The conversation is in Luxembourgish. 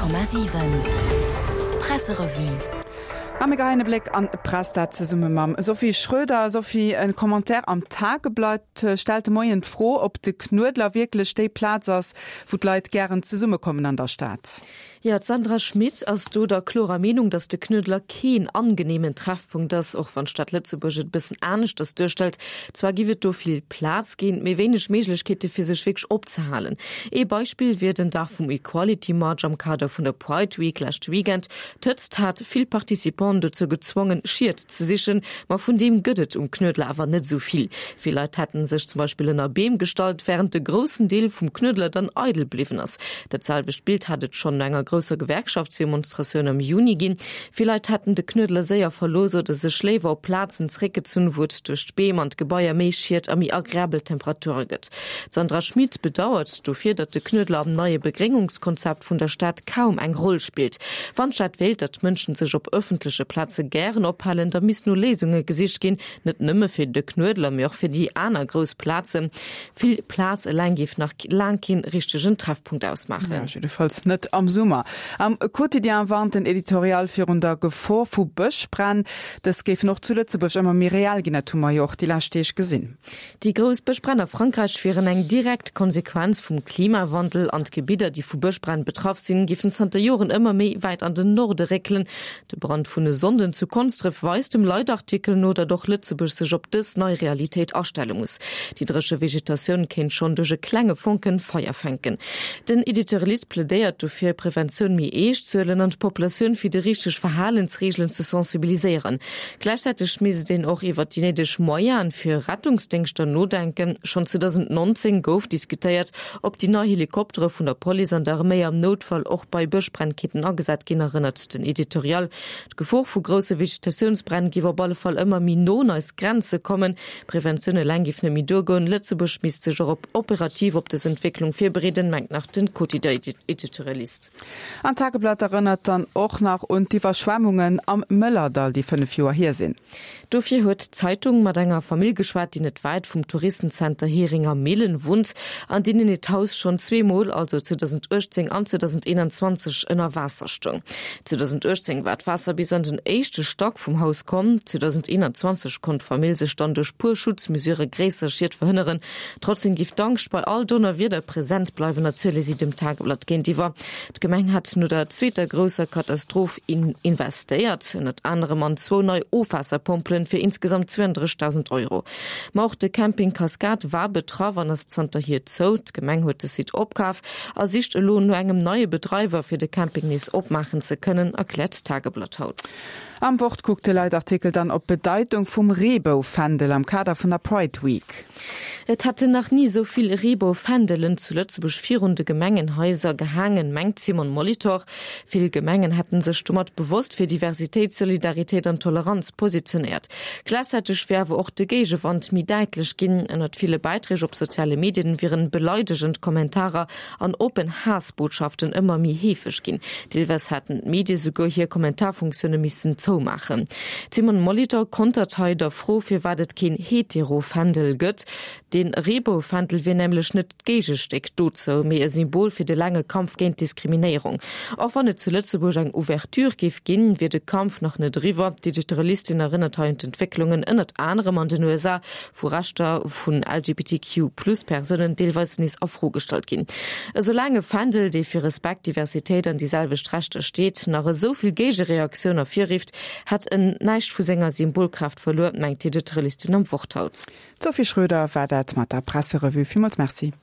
100,7 Presserevue. A mir geheien e Bléck an d'Press, dat zesumme mam Sophie Schröder. Sophie, e Commentaire am Tageblatt stellt de Moien d'Fro, ob de Knuedler wierklech déi Plaz ass, wou d'Leit gären zesummekommen an der Stad. Jo, d'Sandra Schmit ass do der klorer Meenung, datt de Knuedler keen angeneemen Treffpunkt ass, och wann d'Stad Lëtzebuerg et e bëssen aneschters duerstellt. Zwar giff et do vill Plaz ginn, mee wéineg Méiglechkeete fir sech wierklech opzehalen. Ee Beispill wier den Dag vum Equality March am Kader vun der Pride Week leschte Weekend. D'Hëtzt hat vill Participanten dozou gezwongen, Schied ze sichen, ma vun deem gëtt et um Knuedler awer net esou vill. Vill Leit hätten sech zum Beispill ënner Beem gestallt, wärend de groussen Deel vum Knuedler dann eidel bliwwen ass. Dat selwecht Bild hat et schonn no enger grousser Gewerkschaftsdemonstratioun am Juni ginn. Vill Leit hätten de Knuedler séier verlooss oder sech léiwer op Plazen zeréckgezunn, wou et duerch d'Beem an d'Gebaier méi Schied a méi agreabel Temperature gëtt. D'Sandra Schmit bedauert dofir, datt de Knuedler am neie Begréngungskonzept vun der Stad kaum eng Roll spillt. Wann d'Stad wéilt, datt d'Mënschen sech op ëffentleche Plaze gären ophalen, da misst no Léisunge gesicht ginn, net nëmme fir de Knuedler, mee och fir déi aner grouss Plazen. Vill Plaz eleng géif nach laang keen richtegen Treffpunkt ausmaachen. Jo, jiddefalls net am Summer. Am Quotidien warnt den Editorial virun der Gefor vu Bëschbränn. Dës géifen och zu Lëtzebuerg ëmmer méi reell ginn. Dat hu mer jo och déi lescht Deeg gesinn. Déi grouss Bëschbränn a Frankräich wieren eng direkt Konsequenz vum Klimawandel an d'Gebidder, déi vu Bëschbränn betraff sinn, géifen zanter Joren ëmmer méi wäit an den Norde réckelen. De Brand vun e Sonnden zu Konsdref weist dem Leitartikel no, datt och Lëtzebuerg sech op dës nei Realitéit astelle muss. Déi dréche Vegetatioun kéint schonn duerch e klenge Fonken Feier fänken. Den Editorialist plädéiert dofir, Preventioun méi eescht ze huelen an d'Populatioun fir déi richteg Verhalensreegelen ze sensibiliséieren. Gläichzäiteg misst een och iwwer déi néideg Moyene fir Rettungsdéngschter nodenken. Schonn 2019 gouf diskutéiert, Ob déi nei Helikoptere vun der Police an der Arméi am Noutfall och bei Bëschbränn kéinten agesat ginn, erënnert den Editorial. D'Gefor vu grousse Vegetatiounsbränn géif op alle Fall ëmmer méi no un eis Grenze kommen. Preventioun eleng géif net méi duergoen. Lëtzebuerg misst sech och op operativ op dës Entwécklung virbereeden, mengt nach den Quotidien-Editorialist. An d'Tageblatt erënnert dann och nach un d'Iwwerschwemmungen am Mëllerdall, déi 5 Joer hier sinn. Dofir huet d'Zeitung mat enger Famill geschwat, déi net wäit vum Touristenzenter Heringer Millen wunnt an deenen hiert Haus schonn zweemol, also 2018 an 2021, ënner Waasser stoung. 2018 war d'Waasser bis an den éischte Stack vum Haus komm. 2021 konnt d'Famill sech dann duerch puer Schutzmesurë gréisser Schied verhënneren. Trotzdem giff d'Angscht bei all Donnerwieder present bleiwen, erziele si dem Tageblatt géintiwwer. D'Gemeng hätt no der zweeter grousser Katastroph investéiert, ënnert anerem an zwou nei Ofwaasserpompelen fir insgesamt 32.000 Euro. Ma och de Camping Cascade war betraff an ass zanterhier zou. D'Gemeng huet de Site opkaf a sicht elo no engem neie Bedreiwer, fir de Camping nees opmaachen ze kënnen, erkläert d'Tageblatt haut. Am Wort kuckt de Leitartikel dann op d'Bedeitung vum Reeboufändel am Kader vun der Pride Week. Et hätten nach ni esou vill Reeboufändelen zu Lëtzebuerg virun de Gemengenhaiser gehaangen, mengt d'Simone Molitor. Vill Gemengen hätten sech domat bewosst fir Diversitéit, Solidaritéit an Toleranz positionéiert. Gläichzäiteg wier awer och de Géigewand méi däitlech ginn. Ënnert ville Bäiträg op soziale Medien wieren beleidegend Kommentarer an oppen Haassbotschaften ëmmer méi heefeg ginn. Deelweis hätten d'Medie souguer hir Kommentarfunktioune missten zoumaachen. D'Simone Molitor kontert hei der Fro, firwat et keen Hetero-Fändel gëtt. De Reebou-Fändel wier nämlech net d'Géigestéck dozou, mee e Symbol fir de laange Kampf géint d'Diskriminéierung. Och wann et zu Lëtzebuerg eng Ouverture géif ginn, wier de Kampf nach net eriwwer. D'Editorialistin erënnert hei un d'Entwécklungen ënnert anerem an den USA, wou Rechter vun LGBTQ-Plus-Persounen deelweis nees a Fro gestallt ginn. Esoulaang e Fändel, dee fir Respekt, Diversitéit an déi selwecht Rechter steet, nach esou vill Géigereaktioun ervirrifft, hätt en näischt vu senger Symbolkraaft verluer, mengt d'Editorialistin am Wort haut. D'Sophie Schröder war dat mat der Presserevue. Villmools Merci.